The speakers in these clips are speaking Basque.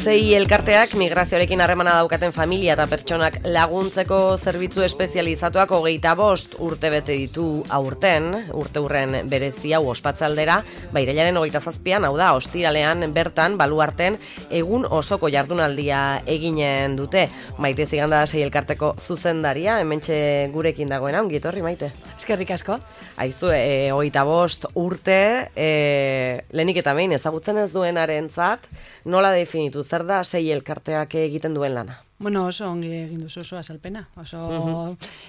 Sei elkarteak migrazioarekin harremana daukaten familia eta pertsonak laguntzeko zerbitzu espezializatuak 25 urte bete ditu aurten, urteurren berezi hau ospatzaldera, irailaren 27an, hau da, ostiralean bertan, baluarten, egun osoko jardunaldia eginen dute. Maite Ziganda sei elkarteko zuzendaria, hementxe gurekin dagoena, ongi etorri Maite. Eskerrik asko. Aizu, 25 urte, lehenik eta behin ezagutzen ez duenarentzat, nola definitu, zer da sei elkarteak egiten duen lana? Bueno, oso ongi egin duzu, oso azalpena.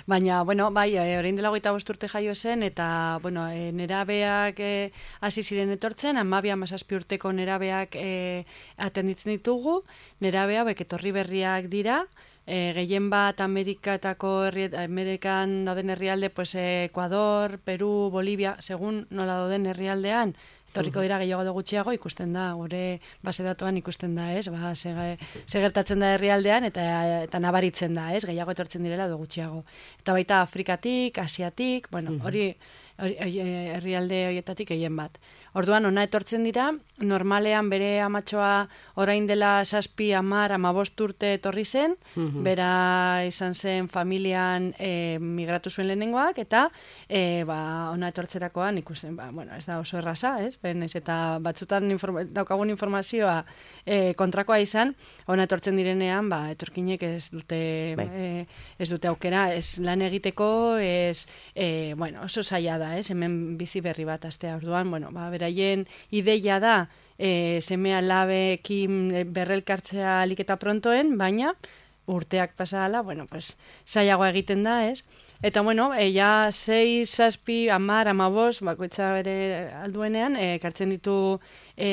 Baina, orain dela 25 urte jaio zen, eta, nerabeak hasi ziren etortzen, 12-17 urteko nerabeak atenditzen ditugu, nerabea etorri berriak dira, gehien bat Amerikan dauden herrialde, Ecuador, Peru, Bolivia, segun nola dauden herrialdean, etorriko dira gehiago edo gutxiago, ikusten da, gure base datuan ikusten da, ez? Ze gertatzen da herrialdean eta nabaritzen da, ez? Gehiago etortzen direla edo gutxiago. Eta baita Afrikatik, Asiatik, hori herrialde horietatik gehien bat. Orduan, ona etortzen dira, normalean bere amatxoa orain dela 7, 10, 15 urte etorri zen, bera izan zen familian migratu zuen lehenengoak, eta ona etortzerakoan ikusten, ez da oso erraza, ez? Eta batzutan daukagun informazioa kontrakoa izan, ona etortzen direnean, etorkinek ez dute aukera, ez lan egiteko, oso zaila da, ez? Hemen bizi berri bat astea, orduan, beraien ideia da seme alabeekin berrelkartzea ahalik eta prontoen, baina urteak pasala, zailagoa egiten da, ez? Eta, ja 6, 7, 10, 15, bakoitza bere alduenean, ekartzen ditu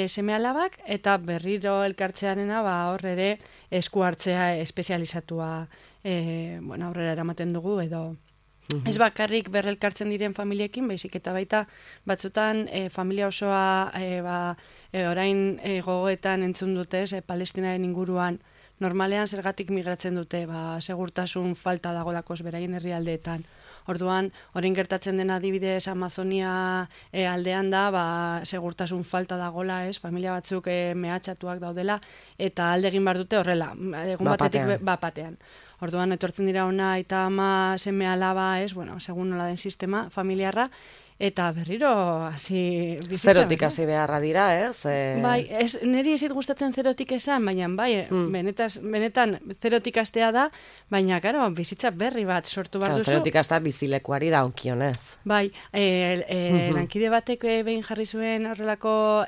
seme alabak, eta berriro elkartzearena, hor ere esku hartzea espezializatua aurrera eramaten dugu, edo ez bakarrik berrelkartzen diren familiekin, baizik eta baita batzutan familia osoa orain gogoetan entzun dute, Palestinaren inguruan normalean zergatik migratzen dute, segurtasun falta dagolakoz beraien herrialdeetan. Orduan, orain gertatzen dena adibidez Amazonia aldean da, segurtasun falta dagola, ez? Familia batzuk mehatxatuak daudela, eta alde egin behar dute horrela, egun batetik batean. Orduan, etortzen dira ona eta ama seme alaba, ez? Segun nola den sistema familiarra, eta berriro hasi bizitza. Zerotik hasi beharra dira, ez? Niri ez gustatzen zerotik esan, baina benetan zerotik hastea da, baina, karo, bizitza berri bat sortu behar duzu. Zerotik hastea bizilekuari daukionez. Lankide batek behin jarri zuen horrelako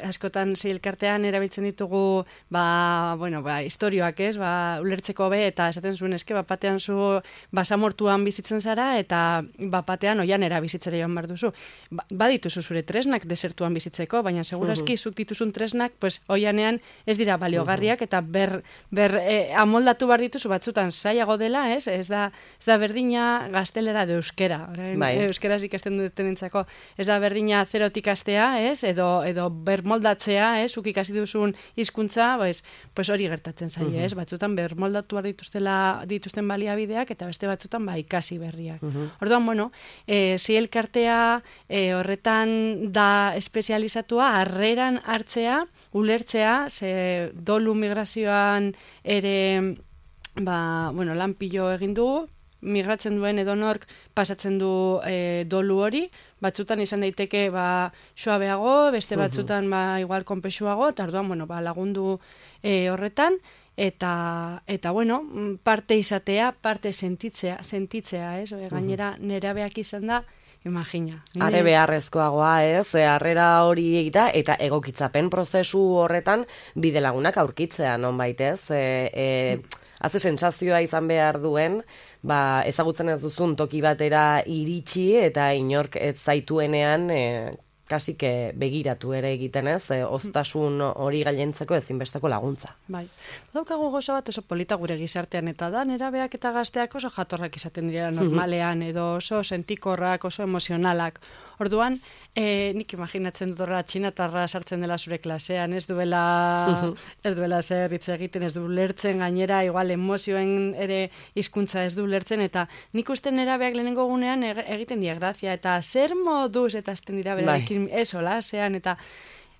askotan elkartean erabiltzen ditugu istorioak, ez? Ulertzeko be, eta esaten zuen eske, batean zu basamortuan bizitzen zara, eta batean oian bizitzera joan behar duzu. Badituzu zure tresnak desertuan bizitzeko, baina segurazki zuk dituzun tresnak, oianean ez dira baliogarriak, eta amoldatu behar dituzu batzutan zailago dela, ez? Ez da berdina gaztelera de euskera. Euskeraz ikasten dutenentzako. Ez da berdina zerotik hastea, ez? Edo bermoldatzea, ez? Zuk ikasi duzun hizkuntza, hori gertatzen zaie, ez? Batzutan bermoldatu behar dituzten baliabideak, eta beste batzutan ikasi berriak. Orduan, sei elkartea horretan da espezializatua, harreran hartzea, ulertzea, ze dolu migrazioan ere lan pilo egin dugu, migratzen duen edonork pasatzen du dolu hori, batzutan izan daiteke suabeago, beste batzutan igual konpexuago, eta orduan lagundu horretan, eta parte izatea, parte sentitzea, ez? Gainera nerabeak izan da, imagina. Are beharrezkoagoa, ez? Harrera hori egita, eta egokitzapen prozesu horretan bide lagunak aurkitzea, nonbait, ez? Haze sentsazioa izan behar duen, ezagutzen ez duzun toki batera iritsi, eta inork ez zaituenean kasike begiratu ere egiten ez, oztasun hori gailentzeko ezinbesteko laguntza. Bai, daukagu gauza bat oso polita gure gizartean, eta da nerabeak eta gazteak oso jatorrak izaten direla normalean, edo oso sentikorrak, oso emozionalak. Orduan, nik imaginatzen dut horra txinatarra sartzen dela zure klasean, ez duela zer hitz egiten, ez du lertzen gainera, igual emozioen ere hizkuntza ez du lertzen, eta nik uste nerabeak lehenengo gunean egiten die grazia, eta zer moduz eta azten dira berarekin solasean, eta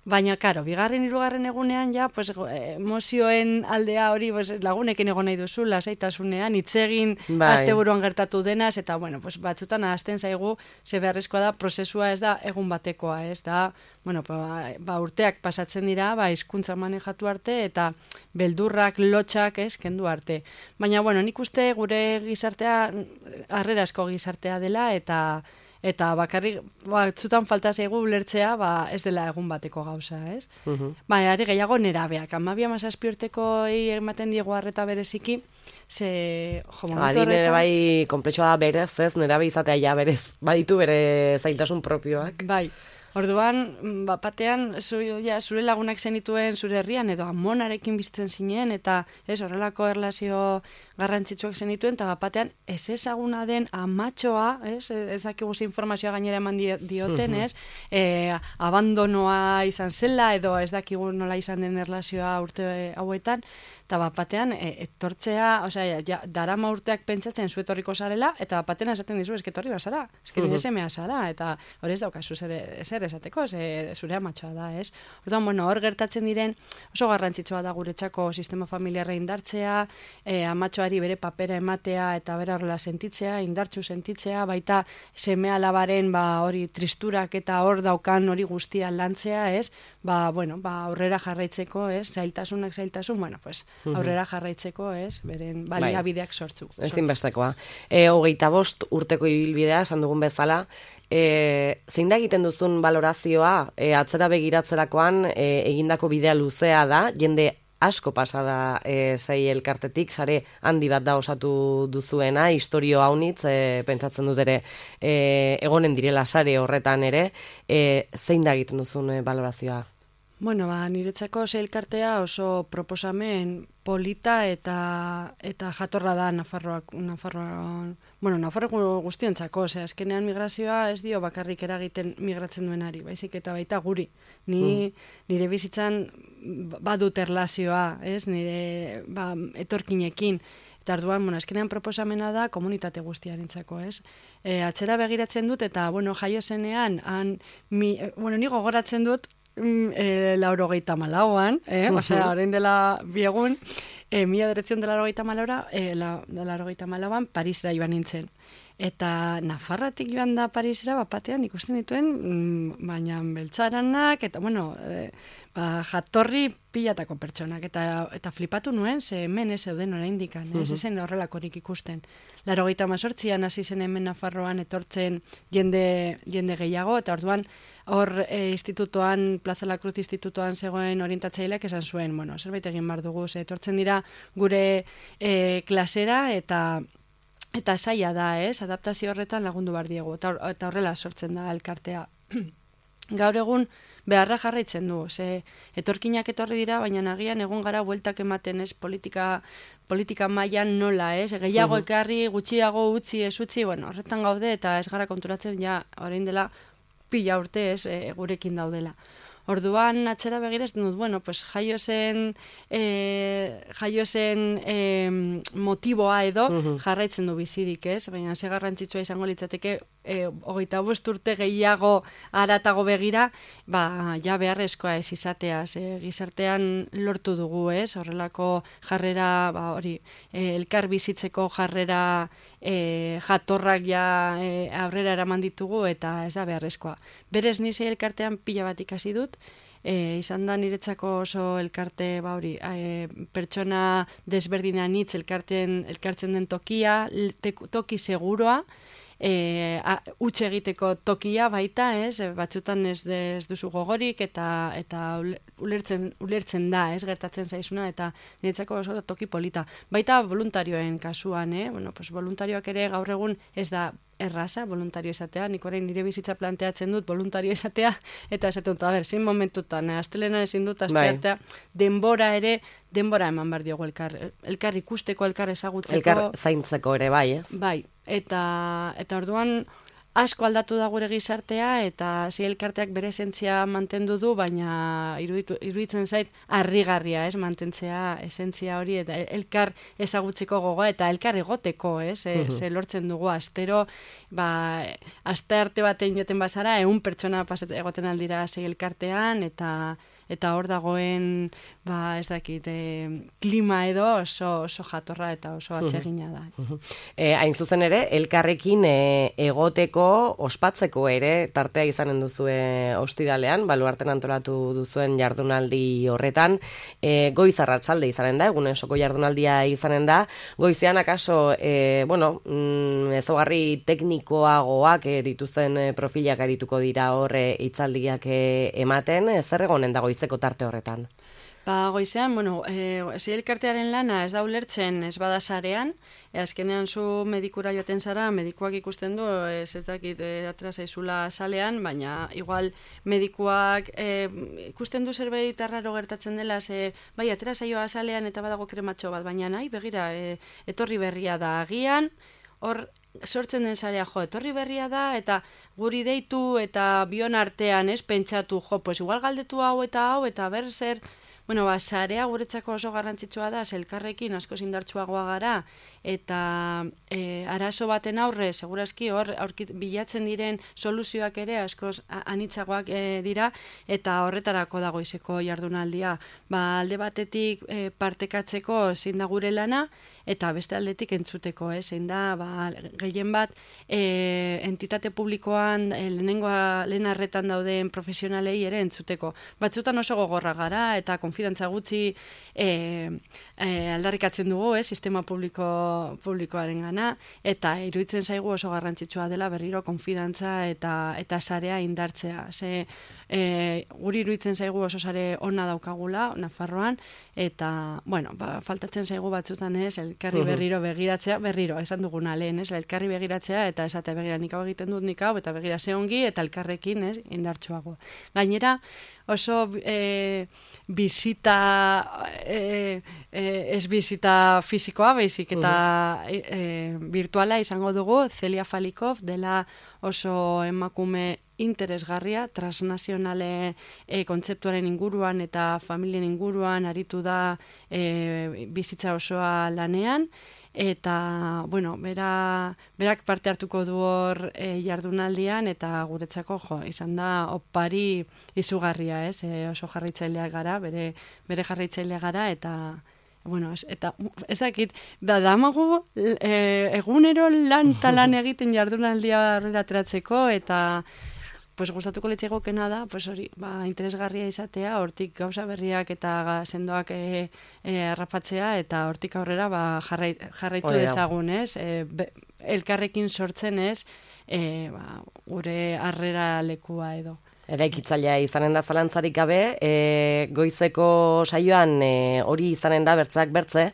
baina, karo, bigarren, hirugarren egunean, ja, pues, emozioen aldea hori pues, lagunekin egon nahi duzu, lasaitasunean, hitzegin asteburuan gertatu denaz, eta, bueno, pues, batzutan ahazten zaigu, ze beharrezkoa da, prozesua ez da egun batekoa, ez da, bueno, urteak pasatzen dira, hizkuntza manejatu arte, eta beldurrak, lotxak, kendu arte. Baina, bueno, nik uste gure gizartea, harrerasko gizartea dela, eta bakarrik batzutan falta zaigu ulertzea ez dela egun bateko gauza, ez? Ari gehiago nerabeak, 12-17 urtekoi ematen diegu arreta bereziki, adine bai konplexua da berez, ez? Nerabe izatea ja berez, baditu bere zailtasun propioak. Bai. Orduan, batean, zure lagunak zenituen zure herrian, edo amonarekin bizitzen zinen, eta horrelako erlazio garrantzitsuak zenituen, eta batean, ez ezaguna den amatxoa, ez dakigu informazioa gainera eman dioten, abandonoa izan zela, edo ez dakigu nola izan den erlazioa urte hauetan, eta batean, etortzea, darama urteak pentsatzen zuetorriko zarela, eta batean esaten dizu, esketorri bazara, nire semea zara, eta hori ez daukazu zer esateko, zure amatxoa da, ez? Orduan, bueno, hor gertatzen diren, oso garrantzitsua da guretzako sistema familiarra indartzea, amatxoari bere papera ematea, eta bera horrela sentitzea, indartsu sentitzea, baita seme alabaren hori tristurak eta hor daukan hori guztia lantzea, ez? Aurrera jarraitzeko, ez? Zailtasun, bueno, pues, aurrera jarraitzeko, ez? Beren baliabideak sortzu. Ezinbestekoa. 25 urteko ibilbidea, esan dugun bezala, zein da egiten duzun balorazioa, atzera begiratzerakoan egindako bidea luzea da, jende asko pasada sei elkartetik, sare handi bat da osatu duzuena, historio haunitz, pentsatzen dut ere, egonen direla sare horretan ere, zein da egiten duzun balorazioa? Bueno, niretzako sei elkartea oso proposamen polita eta jatorra da Nafarroan, Nafarro guztientzako, azkenean migrazioa ez dio bakarrik eragiten migratzen duenari, baizik eta baita guri. Nire bizitzan badut erlazioa, nire etorkinekin, eta orduan, azkenean proposamena da komunitate guztiarentzako, atzera begiratzen dut, eta, jaio zenean, ni gogoratzen dut, 94an, orain dela biegun, 1994an Parisera joan nintzen. Eta Nafarratik joan da Parisera, batean ikusten dituen, baina beltzaranak, eta, jatorri pilatako pertsonak, eta flipatu nuen, ze hemen ez zeuden oraindik, ez zen horrelakorik ikusten. 98an hasi zen hemen Nafarroan etortzen jende gehiago, eta orduan, hor institutoan, Plaza La Cruz institutoan zegoen orientatzaileak esan zuen, zerbait egin behar dugu, etortzen dira gure klasera, eta zaila da, adaptazio horretan lagundu behar diegu, eta horrela sortzen da elkartea. Gaur egun beharra jarraitzen du, etorkinak etorri dira, baina nagian egon gara bueltak ematen, politika mailan nola, gehiago ekarri, gutxiago utzi, ez utzi, horretan gaude, eta ez gara konturatzen, orain dela pila urte gurekin daudela. Orduan atzera begira ez dut, jaio zen motiboa edo jarraitzen du bizirik, baina ze garrantzitsua izango litzateke 25 urte gehiago haratago begira, ja beharrezkoa ez izatea, gizartean lortu dugu, horrelako jarrera, elkar bizitzeko jarrera jatorrak ja aurrera eraman ditugu, eta ez da beharrezkoa. Berez nizei elkartean pila bat ikasi dut, izan da niretzako oso elkarte, pertsona desberdinan hitz elkartzen den tokia, toki seguroa, utxe egiteko tokia baita, ez? Batzutan ez duzu gogorik eta ulertzen da, ez? Gertatzen zaizuna eta niretzako oso toki polita. Baita voluntarioen kasuan, bueno, pues voluntarioak ere gaur egun ez da erraza, voluntario izatea, nik orain nire bizitza planteatzen dut voluntario izatea, eta esaten dut, zein momentutan, astelenan ezin dut, asteartea, denbora eman behar diogu elkar ikusteko, elkar ezagutzeko. Elkar zaintzeko ere bai, ez? Bai, eta orduan asko aldatu da gure gizartea, eta elkarteak bere esentzia mantendu du, baina iruditzen zait harrigarria, ez, mantentzea esentzia hori, eta elkar ezagutzeko gogoa, eta elkar egoteko, ez, ze lortzen dugu astero, aste arte baten joten bazara, 100 pertsona egoten aldira elkartean, eta hor dagoen, ez dakit, klima edo oso jatorra eta oso atsegina da. Hain zuzen ere, elkarrekin egoteko, ospatzeko ere, tartea izanen duzue ostiralean, baluarten antolatu duzuen jardunaldi horretan, goiz arratsalde izanen da, egunesoko jardunaldia izanen da, goizean akaso, ezaugarri teknikoagoak dituzten profilak arituko dira hor hitzaldiak ematen, zer egonen da goizeko tarte horretan? Goizean, elkartearen lana ez da ulertzen ez bada sarean, azkenean zu medikura joaten zara, medikuak ikusten du, ez dakit atera zaizula salean, baina igual medikuak ikusten du zerbait arraro gertatzen dela, bai, atera zaioa salean eta badago krematxo bat, baina nahi, begira, etorri berria da agian, hor sortzen den sarea, etorri berria da, eta guri deitu eta bion artean, ez, pentsatu, pues igual galdetu hau, eta ber zer. Sarea guretzako oso garrantzitsua da, elkarrekin asko indartsuagoa gara, eta arazo baten aurre, segurazki hor bilatzen diren soluzioak ere asko anitzagoak dira, eta horretarako dago izeko jardunaldia. Alde batetik partekatzeko zein da gure lana, eta beste aldetik entzuteko, zein da, gehien bat, entitate publikoan, lehen arretan dauden profesionalei ere entzuteko. Batzutan oso gogorra gara, eta konfidantza gutxi aldarrikatzen dugu, sistema publikoaren gana, eta iruditzen zaigu oso garrantzitsua dela berriro konfidantza eta sarea indartzea. Guri iruditzen zaigu oso sare ona daukagula, Nafarroan, eta, faltatzen zaigu batzutan elkarri berriro begiratzea, esan duguna lehen, elkarri begiratzea, eta esatea begira nik hau egiten dut nik hau, eta begira ze ongi, eta elkarrekin indartsuago. Gainera, oso bizita, ez bizita fisikoa, baizik eta virtuala izango dugu, Celia Falikov, dela oso emakume interesgarria, transnazionale kontzeptuaren inguruan eta familien inguruan aritu da bizitza osoa lanean, eta, berak parte hartuko du hor jardunaldian, eta guretzako, izan da opari izugarria, oso jarraitzailea gara, bere jarraitzailea gara, eta eta ez dakit, damagu egunero lan egiten jardunaldia horrela ateratzeko, eta gustatuko litzaigokena da, hori, interesgarria izatea, hortik gauza berriak eta sendoak harrapatzea, eta hortik aurrera jarraitu dezagun, elkarrekin sortzen, gure harrera lekua edo. Eraikitzailea izanen da zalantzarik gabe, goizeko saioan hori izanen da bertzak bertze,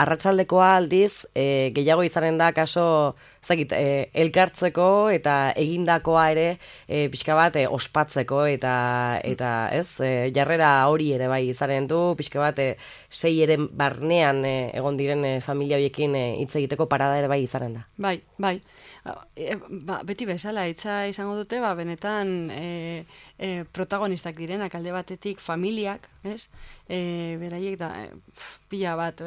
arratsaldekoa aldiz gehiago izanen da kaso elkartzeko eta egindakoa ere pixka bat ospatzeko eta jarrera hori ere bai izanen du, pixka bat 6 eren barnean egon diren familia horiekin hitz egiteko parada ere bai izanen da. Bai. Beti bezala, hitza izango dute, benetan protagonistak direnak, alde batetik familiak, beraiek da, pila bat.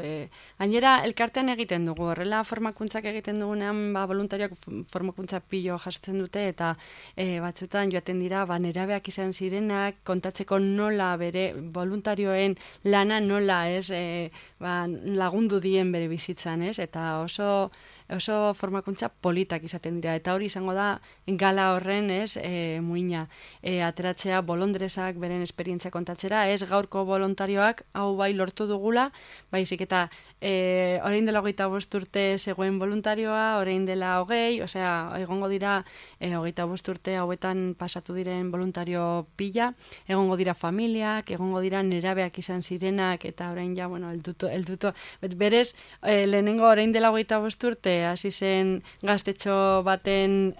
Gainera, elkartean egiten dugu, horrela formakuntzak egiten dugunean, voluntarioak formakuntza pilo jasotzen dute, eta batzutan joaten dira, nerabeak izan zirenak, kontatzeko nola bere voluntarioen lana nola lagundu dien bere bizitzan, eta oso oso formakuntza politak izaten dira, eta hori izango da gala horren, ez, muina, ateratzea bolondresak beren esperientzia kontatzera, ez gaurko voluntarioak hau bai lortu dugula, baizik eta orain dela 25 urte zegoen voluntarioa, orain dela 20, osea, egongo dira 25 urte hauetan pasatu diren voluntario pila, egongo dira familiak, egongo dira nerabeak izan zirenak, eta orain ja, bueno, elduto, berez, lehenengo orain dela 25 urte, hasi zen gaztetxo baten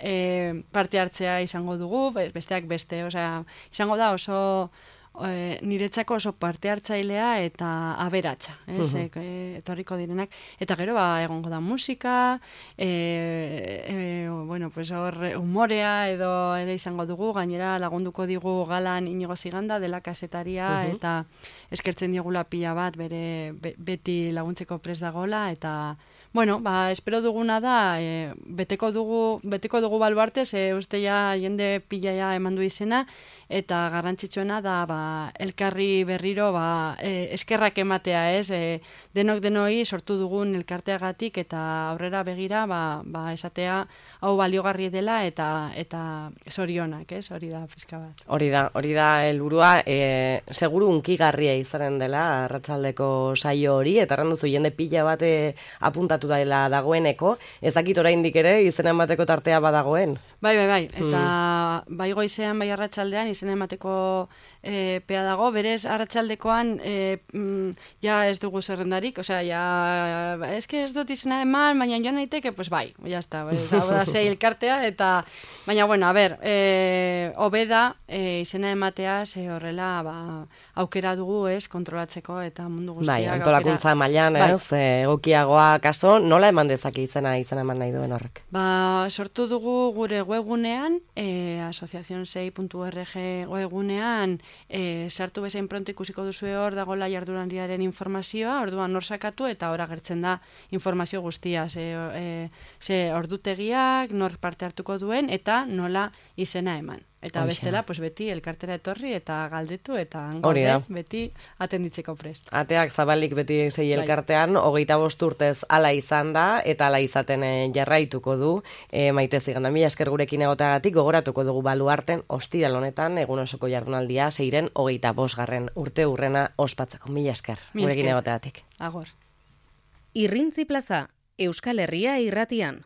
parte hartzea izango dugu, besteak beste, osea, izango da oso niretzako oso parte hartzailea eta aberatsa, etorriko direnak, eta gero egongo da musika, bueno, pues hor humorea edo ere izango dugu, gainera lagunduko digu galan Inigo Ziganda dela kasetaria, eta eskertzen diogula pila bat beti laguntzeko prest dagoela, eta bueno, espero duguna da, beteko dugu baluarte, uste ja jende pila ja eman du izena, eta garrantzitsuena da elkarri berriro eskerrak ematea, ez? Denoi sortu dugun elkarteagatik eta aurrera begira esatea hau baliogarri dela eta zorionak, ez? Hori da pizka bat. Hori da helburua, seguru hunkigarria izanen dela arratsaldeko saio hori, eta erranduzu jende pila bat apuntatu dela dagoeneko, ez dakit oraindik ere izena emateko tartea badagoen. Bai, eta bai goizean, bai arratsaldean izena emateko pea dago, berez arratsaldekoan ja ez dugu zerrendarik, osea, ez dut izena eman, baina joan naiteke, pues bai, ya está, hau da sei elkartea, eta, baina, bueno, a ber, hobeda izena ematea, ze horrela, aukera dugu, ez, kontrolatzeko, eta mundu guztiak. Bai, antolakuntza mailan, ez, egokiagoa kaso, nola eman dezake izena eman nahi duen horrek? Sortu dugu gure webgunean, asociacionsei.org webgunean, sartu bezain pronto ikusiko duzu hor dagoela jardunaldiaren informazioa, orduan nor sakatu eta hor agertzen da informazio guztia, ze ordutegiak, nor parte hartuko duen eta nola izena eman. Eta bestela, pues beti elkartera etorri eta galdetu eta gaude beti atenditzeko prest. Ateak zabalik beti sei elkartean, 25 urtez hala izan da, eta hala izaten jarraituko du. Maite Ziganda, mila esker gurekin egoteagatik, gogoratuko dugu baluarten, ostiral honetan, egun osoko jardunaldia, 25. urte hurrena ospatzeko. Mila esker gurekin egoteagatik. Agor. Irrintzi plaza, Euskal Herria irratian.